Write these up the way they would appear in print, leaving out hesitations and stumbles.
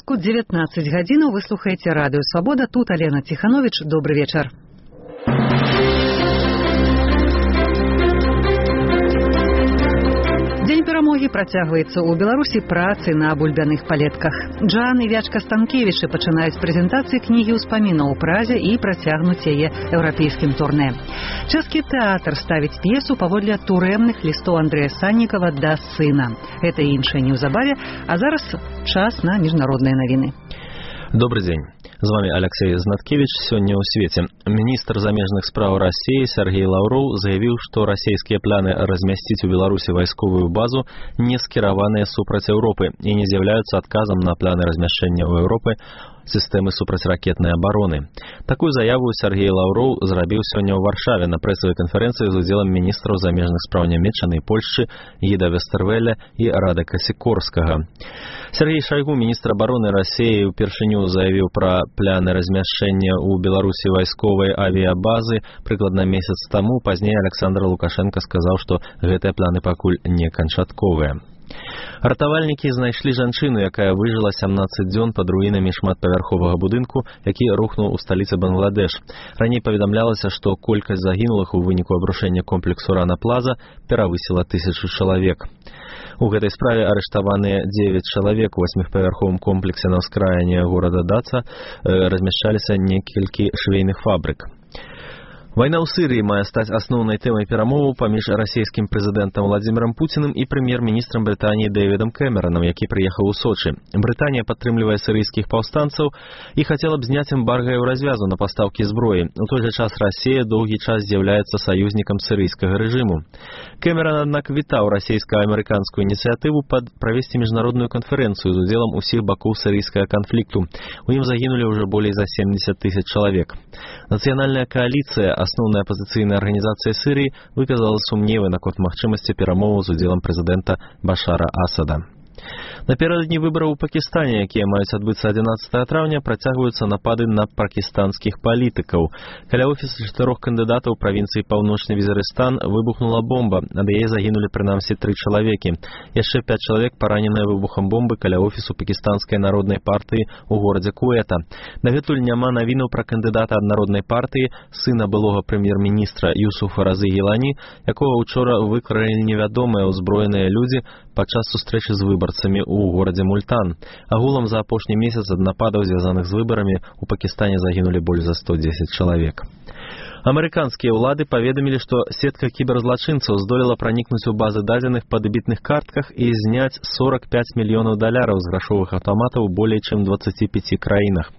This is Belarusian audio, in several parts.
Беларуску 19 гадзінаў вы слухаеце радыё Свабода. Тут Алена Ціхановіч. Добры вечар. Дзень перамогі працягваецца ў Беларусі працы на бульбяных палетках. Джан і Вячка Станкевічы пачынаюць прэзентацыі кнігі ўспамінаў у Празе і працягнуць яе еўрапейскім турнэ. Чэшскі тэатр ставіць п'есу паводле турэмных лістоў Андрэя Саннікава да сына. Гэта і іншае неўзабаве, а зараз час на міжнародныя навіны. Добрый день. З вами Алексей Знаткевич. Сёння ў свеце. Міністр замежных спраў России Сергей Лавров заявіў, што расійскія пляны размясціць у Беларусі вайсковую базу не скіраваныя супраць Еўропы і не з'яўляюцца адказам на пляны размяшчэння ў Еўропы сістэмы супрацьракетнай абароны. Такую заяву Сергей Лавров зрабіў сёння ў Варшаве на прэсавай канферэнцыі з удзелам міністраў замежных спраў Нямецчыны і Польшчы Гіда Вестэрвеля і Радэка Сікорскага. Сергей Шайгу, міністр абароны Расіі, упершыню заявіў пра пляны размяшчэння ў Беларусі вайсковай авіябазы прыкладна месяц таму. Пазней Александр Лукашенко сказаў, што гэтыя пляны пакуль не канчатковыя. Ратавальнікі знайшлі жанчыну, якая выжыла 17 дзён пад руінамі шматпавярховага будынку, які рухнуў у сталіцы Бангладеш. Раней паведамлялася, што колькасць загінулых у выніку абрушэння комплексу Рана Плаза перавысіла 1000 чалавек. У гэтай справе арыштаваныя 9 чалавек у 8павярховым комплексе на ўскраіне горада Даца размяшчаліся некалькі швейных фабрык. Вайна ў Сырыі мае стаць асноўнай тэмай перамоваў паміж расійскім прэзідэнтам Владзімірам Пуціным і прэм'ер-міністрам Брытаніі Дэвідам Кэмеранам, які прыехаў у Сочы. Брытанія падтрымлівае сырыйскіх паўстанцаў і хацела б зняць эмбарга еўразвязу на пастаўкі зброі. У той жа час Расія доўгі час з'яўляецца саюзнікам сырыйскага рэжыму. Кэмеран, аднак, вітаў расійска-амерыканскую ініцыятыву правесці міжнародную канферэнцыю з удзелам усіх бакоў сырыйскага канфлікту. У ім загінулі ўжо болей за 70 000 чалавек. Нацыянальная кааліцыя, асноўная апазіцыйная арганізацыя Сырыі, выказала сумневы наконт магчымасці перамоваў з удзелам прэзідэнта Башара Асада. Напярэдадні выбараў у Пакістане, якія маюць адбыцца 11 траўня, працягваюцца напады на пакістанскіх палітыкаў. Каля офіса 4 кандыдатаў правінцыі Паўночны Візарыстан выбухнула бомба, ад яе загінулі прынамсі 3 чалавекі. Яшчэ 5 чалавек параненыя выбухам бомбы каля офісу Пакістанскай народнай партыі ў горадзе Куэта. Дагэтуль няма навінаў пра кандыдата ад народнай партыі, сына былога прэм'ер-міністра Юсуфа Разы Гілані, якога учора выкралі невядомыя ўзброеныя людзі падчас сустрэчы з выбарцамі ў горадзе Мультан. Агулам за апошні месяц ад нападаў, звязаных з выбарамі, у Пакістане загінулі больш за 110 чалавек. Амерыканскія ўлады паведамілі, што сетка кіберзлачынцаў здолела пранікнуць у базы дадзеных па дэбітных картках і зняць $45 мільёнаў з грашовых аўтаматаў болей чым 25 краінах.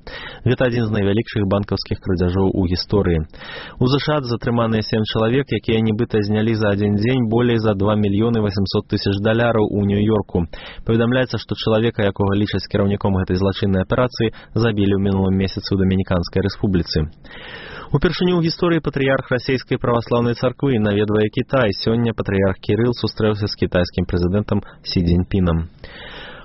Гэта адзін з найвялікшых банкаўскіх крадзяжоў у гісторыі. У ЗША затрыманыя 7 чалавек, якія нібыта знялі за адзін дзень болей за $2 800 000 у Нью-Йорку. Паведамляецца, што чалавека, якога лічаць кіраўніком гэтай злачыннай аперацыі, забілі ў мінулым месяцы ў Дамініканскай рэспубліцы. Упершыню ў гісторыі патрыярх расійскай праваслаўнай царквы наведвае Кітай. Сёння патрыярх Кірыл сустрэўся з кітайскім прэзідэнтам Сі Цзіньпінам.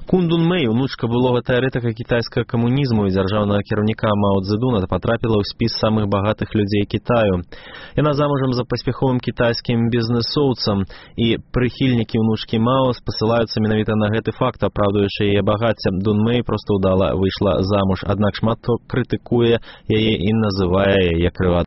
Кун Дун Мэй, унучка былога тэарэтыка кітайскага камунізму і дзяржаўнага кіраўніка Мао Цзэдуна, патрапіла ў спіс самых багатых людзей Кітаю. Яна замужам за паспяховым кітайскім бізнэсоўцам, і прыхільнікі унучкі Мао спасылаюцца менавіта на гэты факт, апраўдуючы яе багацце. Дун Мэй проста ўдала выйшла замуж, аднак шмат хто крытыкуе яе і называе яе крывадой